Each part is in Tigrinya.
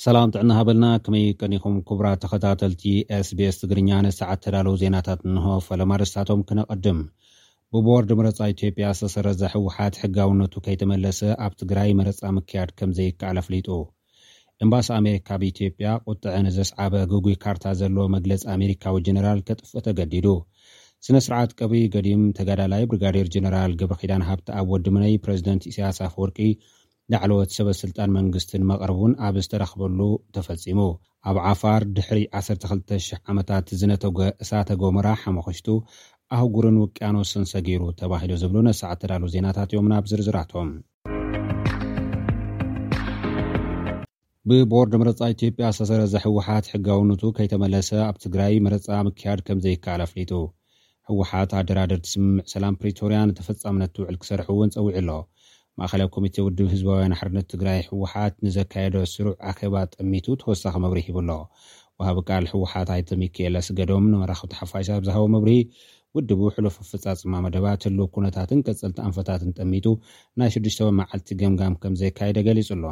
ሰላም ጥዕና ሃበልና። ከመይ ቀኒኹም ክቡራት ተኸታተልቲ SBS ትግርኛ? ንሰዓት ተዳለዉ ዜናታት እንሆ። ፈለማ ርእስታቶም ክነቐድም። ብቦርድ ምረጻ ኢትዮጵያ ዝተሰረዘ ህወሓት ሕጋውነቱ ከይተመለሰ ኣብ ትግራይ መረጻ ምክያድ ከም ዘይከኣል ኣፍሊጡ። ኤምባሲ ኣሜሪካ ኣብ ኢትዮጵያ ቁጥዐ ንዘስዓበ ግጉይ ካርታ ዘለዎ መግለጺ ኣሜሪካዊ ጀነራል ከጥፍእ ተገዲዱ። ስነ ስርዓት ቀብሪ ገዲም ተጋዳላይ ብሪጋዴር ጀነራል ገብረኪዳን ሃብተኣብ ወዲ ምነይ ፕረዚደንት ኢሳያስ ኣፈወርቂ ላዕለዎት ሰበ ስልጣን መንግስትን መቐርቡን ኣብ ዝተረኽበሉ ተፈጺሙ። ኣብ ዓፋር ድሕሪ ዓሰርተ ክልተ ሽሕ ዓመታት ዝነተጎ እሳተ ጎመራ ሓመኽሽቱ ኣህጉርን ውቅያኖስን ሰጊሩ ተባሂሉ ዝብሉ ነሰዓት ተዳሉ ዜናታት እዮም። ናብ ዝርዝራቶም። ብቦርድ ምረጻ ኢትዮጵያ ዝተሰረዘ ህወሓት ሕጋውነቱ ከይተመለሰ ኣብ ትግራይ መረጻ ምክያድ ከም ዘይከኣል ኣፍሊጡ። ህወሓት ኣደራደርቲ ስምምዕ ሰላም ፕሪቶርያ ንተፈጻምነት ትውዕል ክሰርሕ እውን ጸዊዑ ኣሎ። ማእኸላይ ኮሚቴ ውድብ ህዝባውያን ሓርነት ትግራይ ህወሓት ንዘካየዶ ስሩዕ ኣኼባ ጠሚቱ ተወሳኺ መብርሂ ሂቡ ኣሎ። ወሃቢ ቃል ህወሓት ኣይተ ሚካኤል ኣስገዶም ንመራኸብቲ ሓፋሽ ኣብ ዝሃቦ መብርሂ፣ ውድቡ ሕሉፍ ኣፈጻጽማ መደባት፣ ህልው ኩነታትን ቀጸልቲ ኣንፈታትን ጠሚቱ ናይ ሽዱሽተ መዓልቲ ገምጋም ከም ዘካየደ ገሊጹ ኣሎ።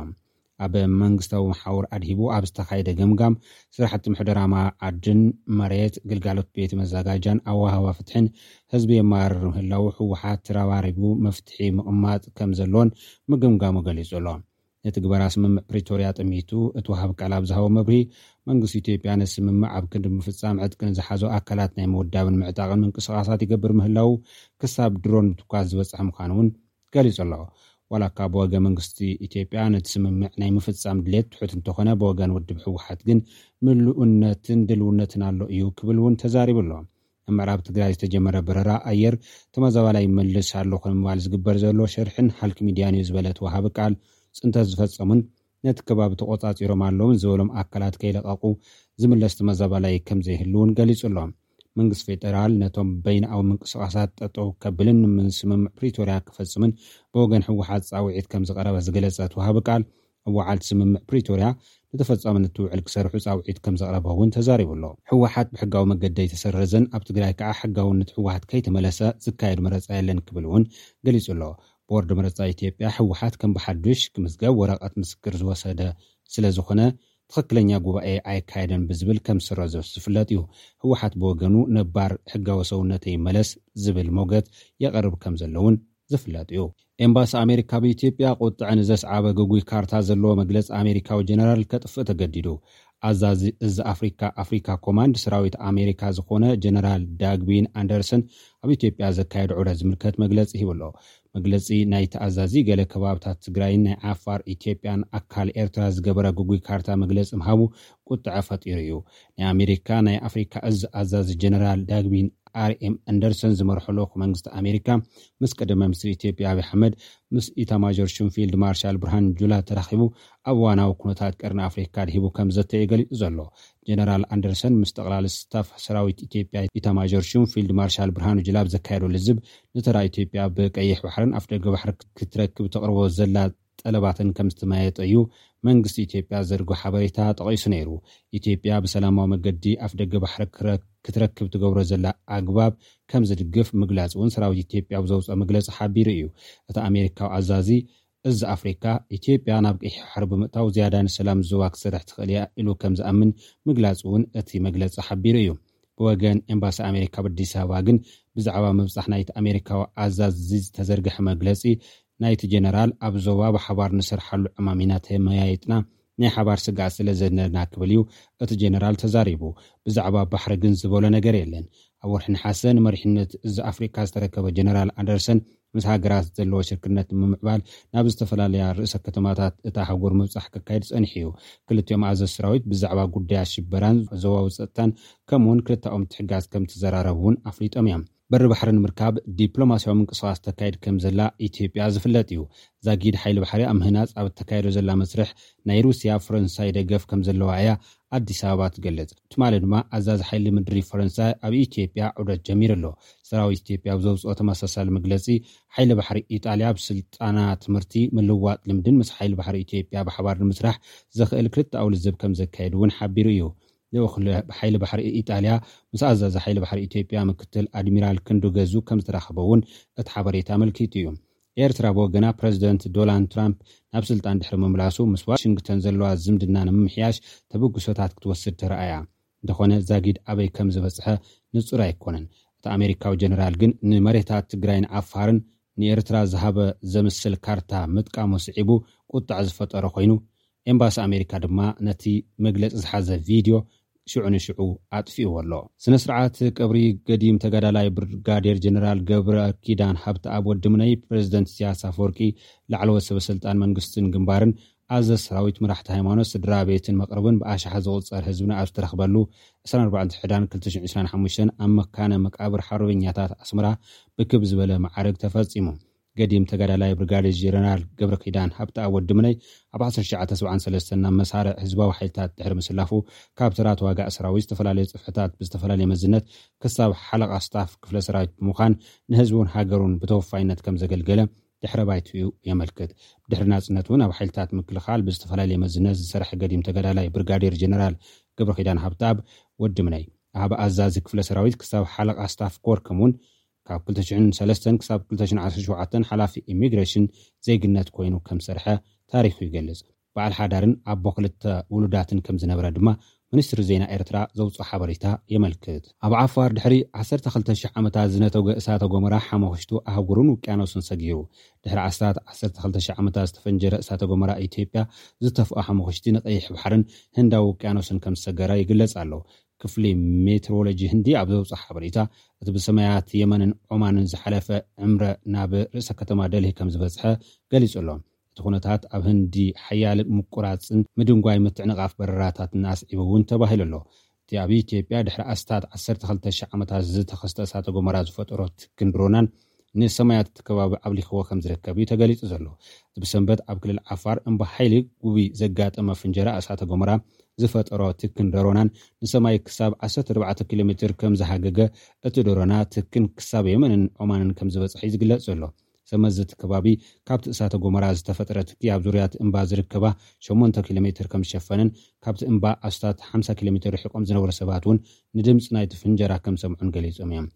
ኣብ መንግስታዊ መሓውር ኣድሂቡ ኣብ ዝተኻየደ ገምጋም፣ ስራሕቲ ምሕደራ ማይ ዓድን መሬት፣ ግልጋሎት ቤት መዘጋጃን ኣወሃህባ ፍትሕን ህዝቢ የመራርር ምህላዉ ህወሓት ተረባሪቡ መፍትሒ ምቕማጥ ከም ዘለዎን ምግምጋሙ ገሊጹ ኣሎ። ንትግበራ ስምምዕ ፕሪቶርያ ጠሚቱ እቲ ወሃቢ ቃል ኣብ ዝሃቦ መብርሂ፣ መንግስቲ ኢትዮጵያ ነቲ ስምምዕ ኣብ ክንዲ ምፍጻም ዕጥቂ ንዝሓዙ ኣካላት ናይ ምውዳብን ምዕጣቕን ምንቅስቓሳት ይገብር ምህላዉ፣ ክሳብ ድሮን ምትኳስ ዝበጽሐ ምዃኑ እውን ገሊጹ ኣሎ። ዋላ እኳ ብወገን መንግስቲ ኢትዮጵያ ነቲ ስምምዕ ናይ ምፍጻም ድሌት ትሑት እንተኾነ፣ ብወገን ውድብ ህወሓት ግን ምሉእነትን ድልውነትን ኣሎ እዩ ክብል እውን ተዛሪቡ ኣሎ። ኣብ ምዕራብ ትግራይ ዝተጀመረ በረራ ኣየር ተመዛባላይ ይመልስ ኣለኹ ንምባል ዝግበር ዘሎ ሸርሕን ሃልኪ ሚድያን እዩ ዝበለ እቲ ወሃቢ ቃል፣ ጽንተት ዝፈጸሙን ነቲ ከባቢ ተቖጻጺሮም ኣለውን ዝበሎም ኣካላት ከይለቐቑ ዝምለስ ተመዛባላይ ከም ዘይህሉ እውን ገሊጹ ኣሎ። መንግስቲ ፌደራል ነቶም በይንኣዊ ምንቅስቓሳት ጠጠው ከብልን ንምስምምዕ ፕሪቶርያ ክፈጽምን ብወገን ህወሓት ጻውዒት ከም ዝቐረበ ዝገለጸ እቲ ወሃቢ ቃል፣ ኣዋዓልቲ ስምምዕ ፕሪቶርያ ንተፈጻምነት ትውዕል ክሰርሑ ጻውዒት ከም ዘቕረበ እውን ተዛሪቡ ኣሎ። ህወሓት ብሕጋዊ መገዲ ኣይተሰረዘን፣ ኣብ ትግራይ ከዓ ሕጋውነት ህወሓት ከይተመለሰ ዝካየድ መረጻ የለን ክብል እውን ገሊጹ ኣሎ። ቦርድ መረጻ ኢትዮጵያ ህወሓት ከም ብሓዱሽ ክምዝገብ ወረቐት ምስክር ዝወሰደ ስለ ዝኾነ፣ ትኽክለኛ ጉባኤ ኣይካየደን ብዝብል ከም ዝሰረዞ ዝፍለጥ እዩ። ህወሓት ብወገኑ ነባር ሕጋዊ ሰውነተይ ይመለስ ዝብል ሞገት የቐርብ ከም ዘሎ እውን ዝፍለጥ እዩ። ኤምባሲ ኣሜሪካ ኣብ ኢትዮጵያ ቁጥዐ ንዘስዓበ ግጉይ ካርታ ዘለዎ መግለጺ ኣሜሪካዊ ጀነራል ከጥፍእ ተገዲዱ። ኣዛዚ እዚ ኣፍሪካ፣ ኣፍሪካ ኮማንድ ሰራዊት ኣሜሪካ ዝኾነ ጀነራል ዳግቢን ኣንደርሰን ኣብ ኢትዮጵያ ዘካየዶ ዑደት ዝምልከት መግለጺ ሂቡ ኣሎ። መግለጺ ናይቲ ኣዛዚ፣ ገለ ከባብታት ትግራይን ናይ ዓፋር ኢትዮጵያን ኣካል ኤርትራ ዝገበረ ግጉይ ካርታ መግለጺ ምሃቡ ቁጥዐ ፈጢሩ እዩ። ናይ ኣሜሪካ ናይ ኣፍሪካ እዝ ኣዛዚ ጀነራል ዳግቢን ኣርኤም ኣንደርሰን ዝመርሖ ልኡኽ መንግስቲ ኣሜሪካ ምስ ቀደመ ሚኒስትር ኢትዮጵያ ኣብይ ኣሕመድ፣ ምስ ኢታማዦር ሹም ፊልድ ማርሻል ብርሃኑ ጁላ ተራኺቡ ኣብ እዋናዊ ኩነታት ቀርኒ ኣፍሪካ ኣድሂቡ ከም ዘተ እዩ ገሊጹ ዘሎ። ጀነራል ኣንደርሰን ምስ ጠቕላሊ ስታፍ ሰራዊት ኢትዮጵያ ኢታማዦር ሹም ፊልድ ማርሻል ብርሃኑ ጁላ ኣብ ዘካየዶ ልዝብ፣ ንተራ ኢትዮጵያ ብቀይሕ ባሕርን ኣፍደገ ባሕሪ ክትረክብ ተቕርቦ ዘላ ጠለባትን ከም ዝተመያየጠ እዩ መንግስቲ ኢትዮጵያ ዘርጎ ሓበሬታ ጠቒሱ ነይሩ። ኢትዮጵያ ብሰላማዊ መገዲ ኣፍደገ ባሕሪ ክረ-፣ ክትረክብ ትገብሮ ዘላ ኣግባብ ከም ዝድግፍ ምግላጽ እውን ሰራዊት ኢትዮጵያ ኣብ ዘውፅኦ መግለፂ ሓቢሩ እዩ። እቲ ኣሜሪካዊ ኣዛዚ፣ እዚ ኣፍሪካ፣ ኢትዮጵያ ናብ ቀይሕ ባሕሪ ብምእታው ዝያዳ ንሰላም ዞባ ክትሰርሕ ትኽእል እያ ኢሉ ከም ዝኣምን ምግላጹ እውን እቲ መግለጺ ሓቢሩ እዩ። ብወገን ኤምባሲ ኣሜሪካ ኣብ ኣዲስ ኣበባ ግን ብዛዕባ ምብጻሕ ናይቲ ኣሜሪካዊ ኣዛዚ ዝተዘርግሐ መግለጺ፣ ናይቲ ጀነራል ኣብ ዞባ ብሓባር ንሰርሓሉ ዕማም ኢና ተመያይጥና፣ ናይ ሓባር ስግኣት ስለ ዘለና ክብል እዩ እቲ ጀነራል ተዛሪቡ። ብዛዕባ ባሕሪ ግን ዝበሎ ነገር የለን። ኣብ ወርሒ ነሓሰ ንመሪሕነት እዚ ኣፍሪካ ዝተረከበ ጀነራል ኣንደርሰን፣ ምስ ሃገራት ዘለዎ ሽርክነት ንምምዕባል ናብ ዝተፈላለያ ርእሰ ከተማታት እታ ኣህጉር ምብጻሕ ከካይድ ጸኒሑ እዩ። ክልቲኦም ኣዘዝቲ ሰራዊት ብዛዕባ ጉዳያት ሽበራን ዞባዊ ጸጥታን፣ ከምኡውን ክልተኣኦም ምትሕግጋዝ ከም ዝተዘራረቡ እውን ኣፍሊጦም እዮም። በሪ ባሕሪ ንምርካብ ዲፕሎማሲያዊ ምንቅስቓስ ተካይድ ከም ዘላ ኢትዮጵያ ዝፍለጥ እዩ። ዛጊድ ሓይሊ ባሕሪ ኣብ ምህናጽ ኣብ እተካየዶ ዘላ መስርሕ፣ ናይ ሩስያ ፈረንሳይ ደገፍ ከም ዘለዋ እያ ኣዲስ ኣበባ ትገልጽ። ትማሊ ድማ ኣዛዚ ሓይሊ ምድሪ ፈረንሳይ ኣብ ኢትዮጵያ ዑደት ጀሚሩ ኣሎ። ሰራዊት ኢትዮጵያ ኣብ ዘውፅኦ ተመሳሳሊ መግለፂ፣ ሓይሊ ባሕሪ ኢጣልያ ኣብ ስልጠና፣ ትምህርቲ፣ ምልውዋጥ ልምድን ምስ ሓይሊ ባሕሪ ኢትዮጵያ ብሓባር ንምስራሕ ዘኽእል ክልተኣዊ ልዝብ ከም ዘካየድ እውን ሓቢሩ እዩ። ልኡኽ ል-፣ ሓይሊ ባሕሪ ኢጣልያ ምስ ኣዛዚ ሓይሊ ባሕሪ ኢትዮጵያ ምክትል ኣድሚራል ክንዱ ገዙ ከም ዝተራኸበ እውን እቲ ሓበሬታ ኣመልኪቱ እዩ። ኤርትራ ብወገና ፕረዚደንት ዶናልድ ትራምፕ ናብ ስልጣን ድሕሪ ምምላሱ ምስ ዋሽንግተን ዘለዋ ዝምድና ንምምሕያሽ ተበግሶታት ክትወስድ ተረኣያ። እንተኾነ ዛጊድ ኣበይ ከም ዝበጽሐ ንጹር ኣይኮነን። እቲ ኣሜሪካዊ ጀነራል ግን ንመሬታት ትግራይን ዓፋርን ንኤርትራ ዝሃበ ዘምስል ካርታ ምጥቃሙ ስዒቡ ቁጣዕ ዝፈጠረ ኮይኑ፣ ኤምባሲ ኣሜሪካ ድማ ነቲ መግለጺ ዝሓዘ ቪድዮ ሽዑ ንሽዑ ኣጥፊእዎ ኣሎ። ስነ ስርዓት ቀብሪ ገዲም ተጋዳላይ ብርጋዴር ጀነራል ገብረ ኪዳን ሃብተኣብ ወዲ ምነይ ፕረዚደንት ኢሳያስ ኣፈወርቂ፣ ላዕለዎት ሰበ ስልጣን መንግስትን ግንባርን፣ ኣዘ ሰራዊት፣ መራሕቲ ሃይማኖት፣ ስድራ ቤትን መቕርብን ብኣሽሓት ዝቑጸር ህዝብን ኣብ ዝተረኽበሉ ዕስራን ኣርባዕተን ሕዳር ክልተ ሽሕን ዕስራን ሓሙሽተን ኣብ መካነ መቃብር ሓርበኛታት ኣስመራ ብክብ ዝበለ መዓርግ ተፈጺሙ። ገዲም ተጋዳላይ ብርጋዴር ጀነራል ገብረ ኪዳን ሃብተኣብ ወዲ ምነይ ኣብ ዓሰርተ ትሽዓተ ሰብዓን ሰለስተን ናብ መሳርዕ ህዝባዊ ሓይልታት ድሕሪ ምስላፉ፣ ካብ ተራ ተዋጋእ ሰራዊት፣ ዝተፈላለዩ ጽፍሕታት ብዝተፈላለየ መዝነት ክሳብ ሓለቓ ስታፍ ክፍለ ሰራዊት ብምዃን ንህዝቡን ሃገሩን ብተወፋይነት ከም ዘገልገለ ድሕረ ባይትኡ የመልክት። ድሕሪ ናጽነት እውን ኣብ ሓይልታት ምክልኻል ብዝተፈላለየ መዝነት ዝሰርሐ ገዲም ተጋዳላይ ብርጋዴር ጀነራል ገብረ ኪዳን ሃብተኣብ ወዲ ምነይ፣ ኣብ ኣዛዚ ክፍለ ሰራዊት ክሳብ ሓለቓ ስታፍ ኮር፣ ከምኡውን ካብ ክልተ ሽሕን ሰለስተን ክሳብ ክልተ ሽሕን ዓሰርተ ሸውዓተን ሓላፊ ኢሚግሬሽን ዜግነት ኮይኑ ከም ዝሰርሐ ታሪኹ ይገልጽ። በዓል ሓዳርን ኣቦ ክልተ ውሉዳትን ከም ዝነበረ ድማ ሚኒስትሪ ዜና ኤርትራ ዘውፅኦ ሓበሬታ የመልክት። ኣብ ዓፋር ድሕሪ ዓሰርተ ክልተ ሽሕ ዓመታት ዝነተገ እሳተ ጎመራ ሓመኽሽቱ ኣህጉርን ውቅያኖስን ሰጊሩ። ድሕሪ ኣስታት ዓሰርተ ክልተ ሽሕ ዓመታት ዝተፈንጀረ እሳተ ጎመራ ኢትዮጵያ ዝተፍኦ ሓመኽሽቲ ንቀይሕ ባሕርን ህንዳዊ ውቅያኖስን ከም ዝሰገረ ይግለጽ ኣሎ። ክፍሊ ሜትሮሎጂ ህንዲ ኣብ ዘውፅኦ ሓበሬታ፣ እቲ ብሰማያት የመንን ዖማንን ዝሓለፈ ዕምረ ናብ ርእሰ ከተማ ደልሂ ከም ዝበጽሐ ገሊጹ ኣሎ። እቲ ኩነታት ኣብ ህንዲ ሓያል ምቁራጽን ምድንጓይ ምትዕንቓፍ በረራታትን ኣስዒቡ እውን ተባሂሉ ኣሎ። እቲ ኣብ ኢትዮጵያ ድሕሪ ኣስታት ዓሰርተ ክልተ ሽሕ ዓመታት ዝተኸስተ እሳተ ጎመራ ዝፈጠሮ ትክን ድሮናን ንሰማያት እቲ ከባቢ ኣብሊኽዎ ከም ዝርከብ እዩ ተገሊጹ ዘሎ። እቲ ብሰንበት ኣብ ክልል ዓፋር እምባ ሓይሊ ጉቢ ዘጋጠመ ፍንጀራ እሳተ ጎመራ ዝፈጠሮ ትክን ደሮናን ንሰማይ ክሳብ ዓሰርተ ኣርባዕተ ኪሎ ሜትር ከም ዝሃገገ፣ እቲ ደሮና ትክን ክሳብ የመንን ዖማንን ከም ዝበጽሐ እዩ ዝግለጽ ዘሎ። ሰመዚ እቲ ከባቢ ካብቲ እሳተ ጎመራ ዝተፈጠረ ትኪ ኣብ ዙርያ እቲ እምባ ዝርከባ ሸሞንተ ኪሎ ሜትር ከም ዝሸፈንን ካብቲ እምባ ኣስታት ሓምሳ ኪሎ ሜትር ርሒቖም ዝነበሩ ሰባት እውን ንድምፂ ናይቲ ፍንጀራ ከም ዝሰምዑን ገሊጾም እዮም።